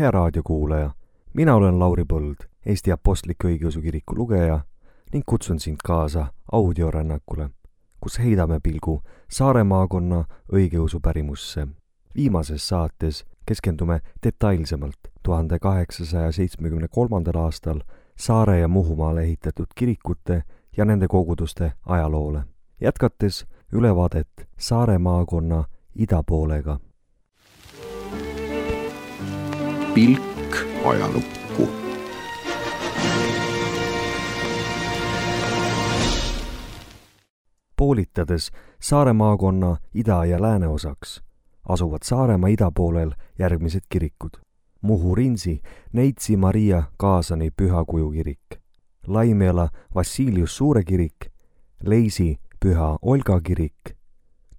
Hea raadiokuulaja, mina olen Lauri Põld, Eesti Apostliku Õigeusu Kiriku lugeja ning kutsun sind kaasa audiorännakule, kus heidame pilgu Saare maakonna õigeusu pärimusse. Viimases saates keskendume detailsemalt 1873. aastal Saare ja Muhumaale ehitatud kirikute ja nende koguduste ajaloole, jätkates ülevaadet Saare maakonna idapoolega. Pilk ajalukku. Poolitades Saare maakonna ida- ja lääneosaks asuvad Saaremaa idapoolel järgmised kirikud. Muhu-Rinsi Neitsi Maria Kaasani Pühakuju kirik, Laimeala Vassilius Suure kirik, Leisi Püha Olga kirik,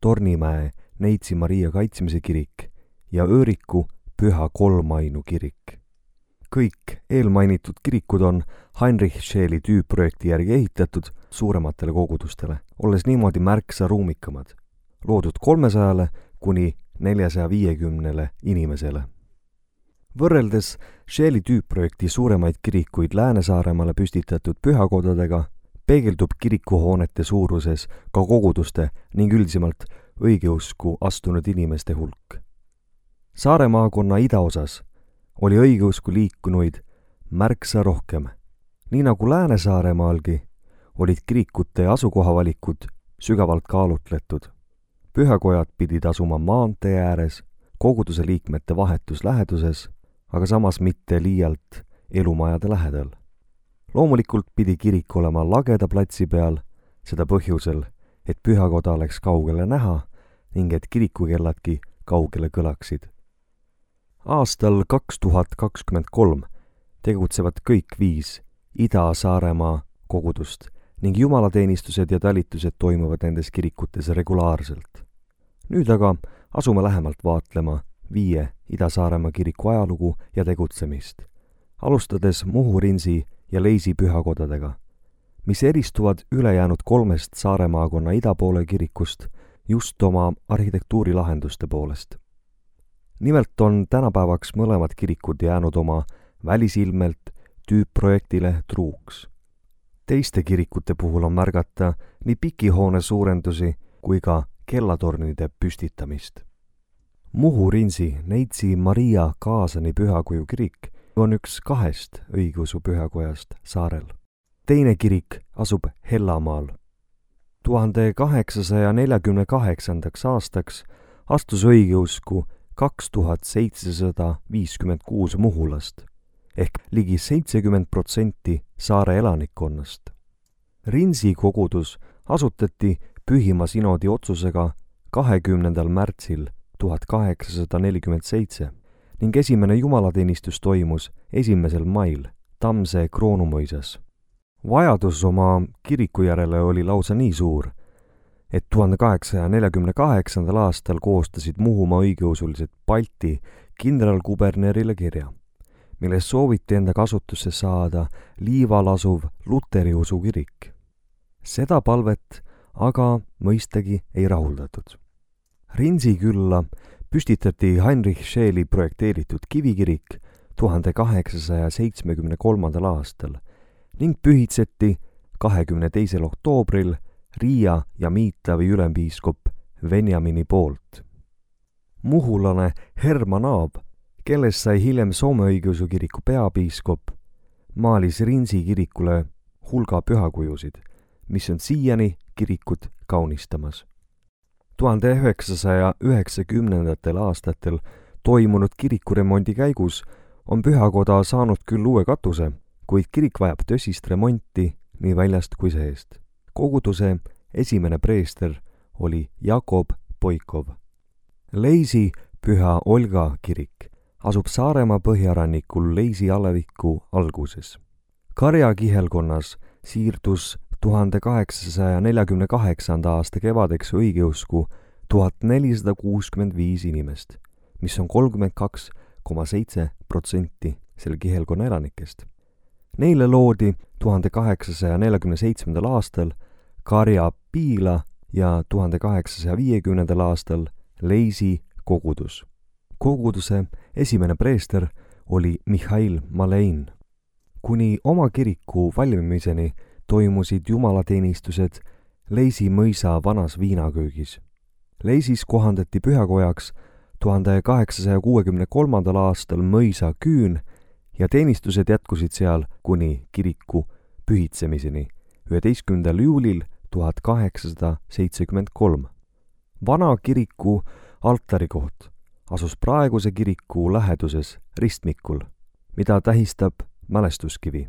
Tornimäe Neitsi Maria Kaitsmise kirik ja Ööriku Püha Kolmainu kirik. Kõik eelmainitud kirikud on Heinrich Scheeli tüüpprojekti järgi ehitatud suurematele kogudustele, olles niimoodi märksa ruumikamad, loodud 300 kuni 450 inimesele. Võrreldes Scheeli tüüpprojekti suuremaid kirikuid Lääne-Saaremaale püstitatud pühakodadega, peegeldub kirikuhoonete suuruses ka koguduste ning üldisemalt õigeusku astunud inimeste hulk. Saare maakonna idaosas oli õigeusku liikunuid märksa rohkem. Nii nagu Lääne-Saaremaalgi olid kirikute asukohavalikud sügavalt kaalutletud. Pühakojad pidid asuma maantee ääres, koguduse liikmete vahetus läheduses, aga samas mitte liialt elumajade lähedal. Loomulikult pidi kirik olema lageda platsi peal, seda põhjusel, et pühakoda oleks kaugele näha ning et kirikukelladki kaugele kõlaksid. Aastal 2023 tegutsevad kõik 5 Ida-Saaremaa kogudust ning jumalateenistused ja talitused toimuvad nendes kirikutes regulaarselt. Nüüd aga asume lähemalt vaatlema 5 Ida-Saaremaa kiriku ajalugu ja tegutsemist, alustades Muhu-Rinsi ja Leisi pühakodadega, mis eristuvad ülejäänud 3 Saare maakonna idapoole kirikust just oma arhitektuurilahenduste poolest. Nimelt on tänapäevaks mõlemad kirikud jäänud oma välisilmelt tüüpprojektile truuks. Teiste kirikute puhul on märgata nii pikihoone suurendusi kui ka kellatornide püstitamist. Muhu-Rinsi Neitsi Maria Kaasani Pühakuju kirik on üks 2 õigeusu pühakojast saarel. Teine kirik asub Hellamaal. 1848. aastaks astus õigeusku 2756 muhulast ehk ligi 70% saare elanikkonnast. Rinsi kogudus asutati Pühima sinodi otsusega 20. märtsil 1847 ning esimene jumalateenistus toimus 1. mail Tammse Kroonumõisas. Vajadus oma kiriku järele oli lausa nii suur, et 1848. aastal koostasid Muhumaa õigeusulised Balti kindralkubernerile kirja, milles sooviti enda kasutusse saada Liival asuv Luteri usu kirik. Seda palvet aga mõistagi ei rahuldatud. Rinsi külla püstitati Heinrich Scheeli projekteeritud kivikirik 1873. aastal ning pühitseti 22. oktoobril Riia ja Miitlavi ülempiiskop Venjamini poolt. Muhulane Herman Aab, kellest sai hiljem Soome õigeusu kiriku peapiiskop, maalis Rinsi kirikule hulga pühakujusid, mis on siiani kirikut kaunistamas. 1990. aastatel toimunud kirikuremondi käigus on pühakoda saanud küll uue katuse, kuid kirik vajab tõsist remonti nii väljast kui seest. Koguduse esimene preester oli Jakob Poikov. Leisi Püha Olga kirik asub Saaremaa põhjarannikul Leisi aleviku alguses. Karja kihelkonnas siirdus 1848. aasta kevadeks õigeusku 1465 inimest, mis on 32,7% selle kihelkonna elanikest. Neile loodi 1847. aastal Karja Piila ja 1850. aastal Leisi kogudus. Koguduse esimene preester oli Mihhail Malein. Kuni oma kiriku valmimiseni toimusid jumalateenistused Leisi mõisa vanas viinaköögis. Leisis kohandati pühakojaks 1863. aastal mõisa küün ja teenistused jätkusid seal kuni kiriku pühitsemiseni 11. juulil 1873. Vana kiriku altarikoht asus praeguse kiriku läheduses ristmikul, mida tähistab mälestuskivi.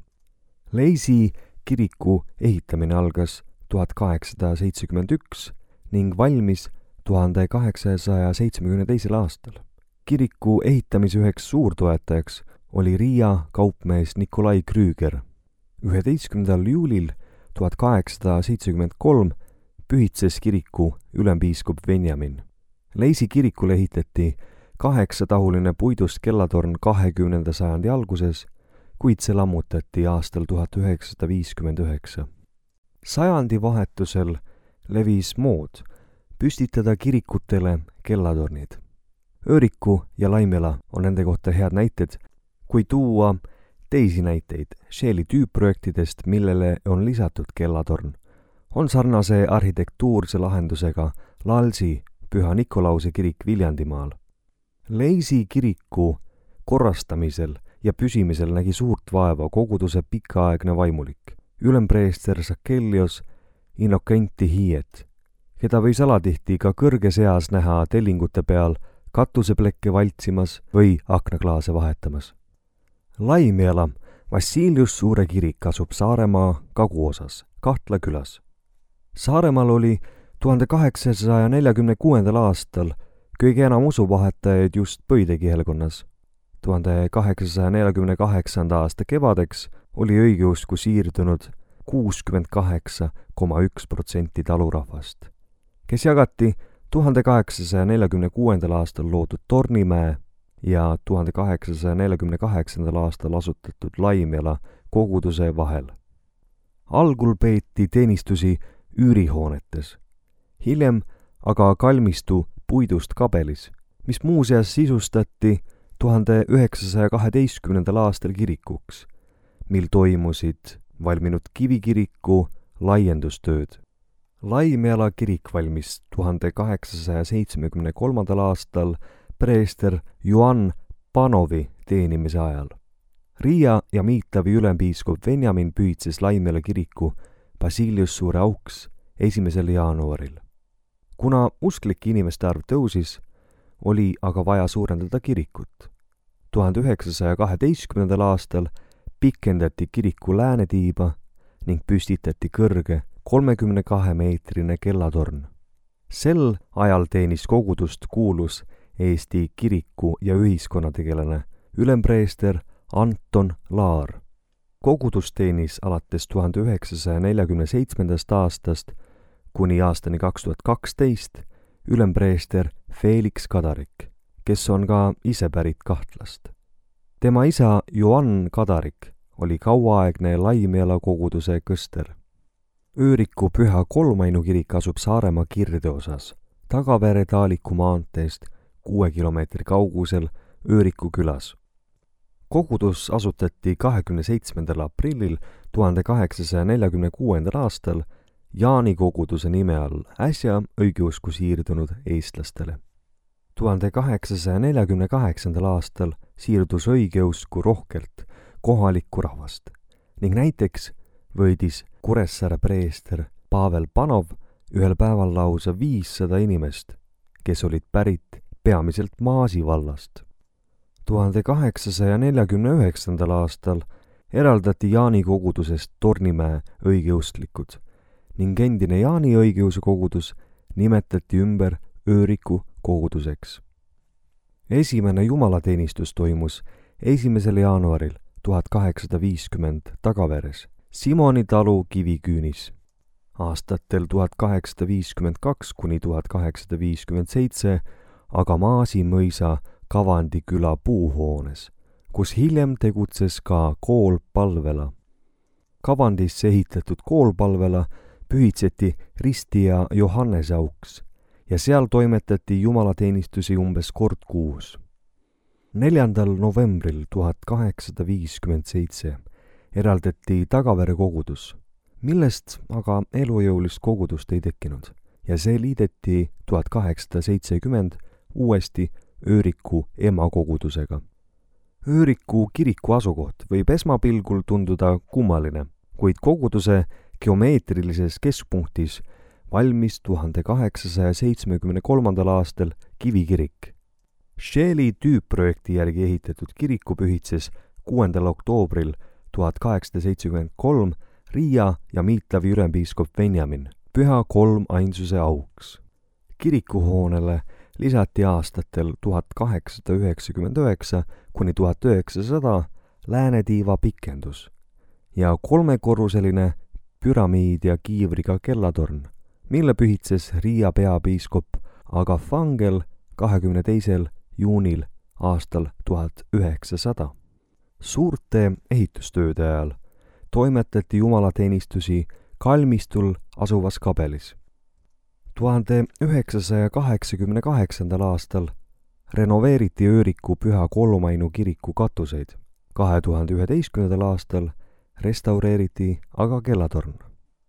Leisi kiriku ehitamine algas 1871 ning valmis 1872. aastal. Kiriku ehitamise üheks suurtoetajaks oli Riia kaupmees Nikolai Krüger. 11. juulil 1873 pühitses kiriku ülempiiskop Venjamin. Leisi kirikule ehitati 8-tahuline puidust kellatorn 20. sajandi alguses, kuid see lammutati aastal 1959. Sajandi vahetusel levis mood püstitada kirikutele kellatornid. Ööriku ja Laimela on nende kohta head näited, kui tuua teisi näiteid Scheeli tüüpprojektidest, millele on lisatud kellatorn, on sarnase arhitektuurse lahendusega Lalsi Püha Nikolause kirik Viljandimaal. Leisi kiriku korrastamisel ja püsimisel nägi suurt vaeva koguduse pikaaegne vaimulik, ülempreester Sakelios Innokenti Hiiet, keda võis alatihti ka kõrges eas näha tellingute peal katuseplekke valtsimas või aknaklaase vahetamas. Laimjala Vassilius Suure kirik asub Saaremaa kaguosas, Kahtla külas. Saaremaal oli 1846. aastal kõige enam usuvahetajaid just Pöide kihelkonnas. 1848. aasta kevadeks oli õigeusku siirdunud 68,1% talurahvast, kes jagati 1846. aastal loodud Tornimäe ja 1848. aastal asutatud Laimjala koguduse vahel. Algul peeti teenistusi üürihoonetes, hiljem aga kalmistu puidust kabelis, mis muuseas sisustati 1912. aastal kirikuks, mil toimusid valminud kivikiriku laiendustööd. Laimjala kirik valmis 1873. aastal preester Joan Panovi teenimise ajal. Riia ja Miitavi ülempiiskop Venjamin pühitses Laimjala kiriku Basilius Suure auks 1. jaanuaril. Kuna usklike inimeste arv tõusis, oli aga vaja suurendada kirikut. 1912. aastal pikendati kiriku läänetiiba ning püstitati kõrge 32-meetrine kellatorn. Sel ajal teenis kogudust kuulus Eesti kiriku- ja ühiskonnategelane ülempreester Anton Laar. Kogudus teenis alates 1947. aastast kuni aastani 2012 ülempreester Felix Kadarik, kes on ka ise pärit Kahtlast. Tema isa Joan Kadarik oli kauaaegne Laimjala koguduse kõster. Ööriku Püha Kolmainu kirik asub Saaremaa kirdeosas, Tagavere-Taaliku maanteest 6 kilomeetri kaugusel Ööriku külas. Kogudus asutati 27. aprillil 1846. aastal Jaani koguduse nime all äsja õigeusku siirdunud eestlastele. 1848. aastal siirdus õigeusku rohkelt kohalikku rahvast ning näiteks võidis Kuressaare preester Pavel Panov ühel päeval lausa 500 inimest, kes olid pärit peamiselt Maasi vallast. 1849. aastal eraldati Jaani kogudusest Tornimäe õigeustlikud ning endine Jaani õigeusu kogudus nimetati ümber Ööriku koguduseks. Esimene jumalateenistus toimus 1. jaanuaril 1850 Tagaveres, Simoni talu Kiviküünis. Aastatel 1852 kuni 1857 aga Maasi mõisa Kavandi küla puuhoones, kus hiljem tegutses ka kool Palvela. Kavandisse ehitatud kool Palvela pühitseti Risti ja Johannese auks ja seal toimetati jumalateenistusi umbes kord kuus. 4. novembril 1857 eraldati Tagavere kogudus, millest aga elujõulist kogudust ei tekkinud ja see liideti 1870 uuesti Ööriku emakogudusega. Ööriku kiriku asukoht võib esmapilgul tunduda kummaline, kuid koguduse geomeetrilises keskpunktis valmis 1873. aastal kivikirik. Scheeli tüüpprojekti järgi ehitatud kiriku pühitses 6. oktoobril 1873 Riia ja Miitlavi ülempiiskop Benjamin Püha Kolmainsuse auks. Kirikuhoonele lisati aastatel 1899 kuni 1900 läänetiiva pikendus ja 3-korruseline püramiid ja kiivriga kellatorn, mille pühitses Riia peapiiskop Agafangel 22. juunil aastal 1900. Suurte ehitustööde ajal toimetati jumalateenistusi kalmistul asuvas kabelis. 1988. aastal renoveeriti Ööriku Püha Kolmainu kiriku katuseid. 2011. aastal restaureeriti aga kellatorn.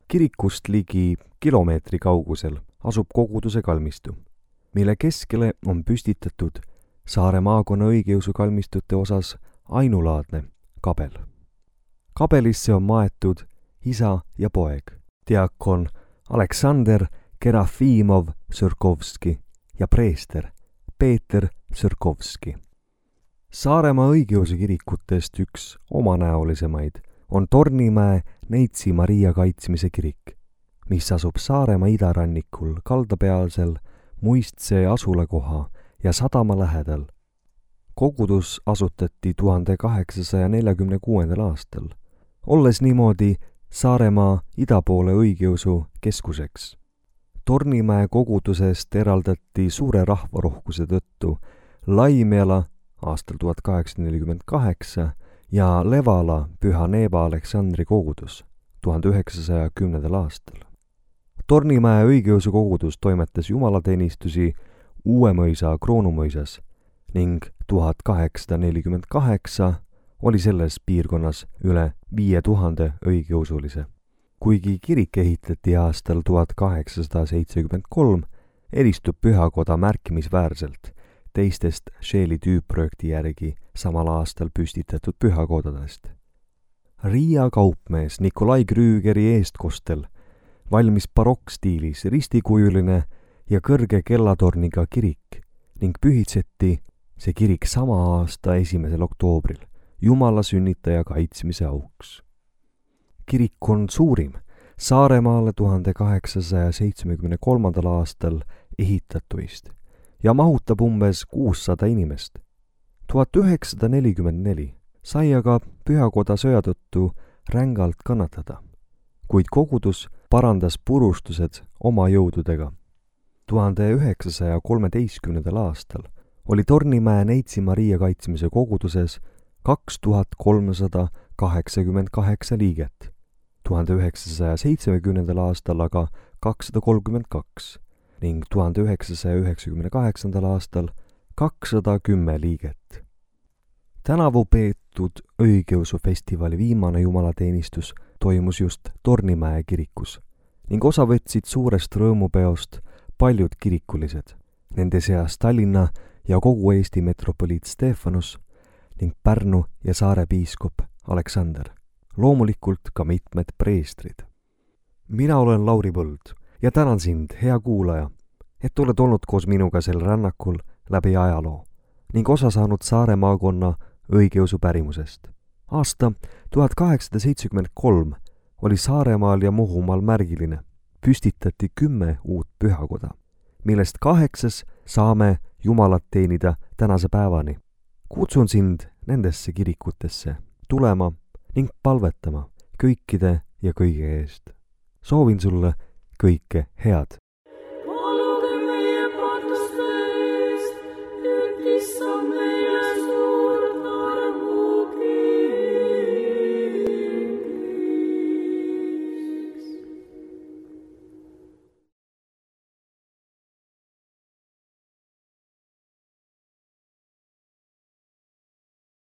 Kirikust ligi kilomeetri kaugusel asub koguduse kalmistu, mille keskele on püstitatud Saare maakonna õigeusu kalmistute osas ainulaadne kabel. Kabelisse on maetud isa ja poeg, diakon Aleksander Kerafimov-Sõrkovski ja preester Peeter Sõrkovski. Saaremaa õigeusu kirikutest üks omanäolisemaid on Tornimäe Neitsi Maria kaitsmise kirik, mis asub Saaremaa idarannikul kaldapealsel Muistsee asulakoha ja sadama lähedal. Kogudus asutati 1846. aastal, olles niimoodi Saaremaa idapoole õigeusu keskuseks. Tornimäe kogudusest eraldati suure rahvarohkuse tõttu Laimeala aastal 1848 ja Levala Püha Neeva Aleksandri kogudus 1910. aastal. Tornimäe õigeusu kogudus toimetas jumalateenistusi Uuemõisa Kroonumõisas ning 1848 oli selles piirkonnas üle 5000 õigeusulise. Kuigi kirik ehitati aastal 1873, eristub pühakoda märkimisväärselt teistest Scheeli tüüpprojekti järgi samal aastal püstitatud pühakodadest. Riia kaupmees Nikolai Krüügeri eestkostel valmis barokkstiilis ristikujuline ja kõrge kellatorniga kirik ning pühitseti see kirik sama aasta 1. oktoobril Jumala sünnitaja kaitsmise auks. Kirik on suurim Saaremaale 1873. aastal ehitatuist ja mahutab umbes 600 inimest. 1944 sai aga pühakoda sõja tõttu rängalt kannatada, kuid kogudus parandas purustused oma jõududega. 1913. aastal oli Tornimäe Neitsi Maria kaitsmise koguduses 2388 liiget, 1970. aastal aga 232 ning 1998. aastal 210 liiget. Tänavu peetud õigeusufestivali viimane jumalateenistus toimus just Tornimäe kirikus ning osa võtsid suurest rõõmupeost paljud kirikulised, nende seas Tallinna ja kogu Eesti metropoliit Stefanus ning Pärnu ja Saare piiskop Aleksander, loomulikult ka mitmed preestrid. Mina olen Lauri Põld ja tänan sind, hea kuulaja, et oled olnud koos minuga sel rännakul läbi ajaloo ning osa saanud Saare maakonna õigeusu pärimusest. Aasta 1873 oli Saaremaal ja Muhumaal märgiline. Püstitati 10 uut pühakoda, millest 8 saame Jumalat teenida tänase päevani. Kutsun sind nendesse kirikutesse tulema ning palvetama kõikide ja kõige eest. Soovin sulle kõike head.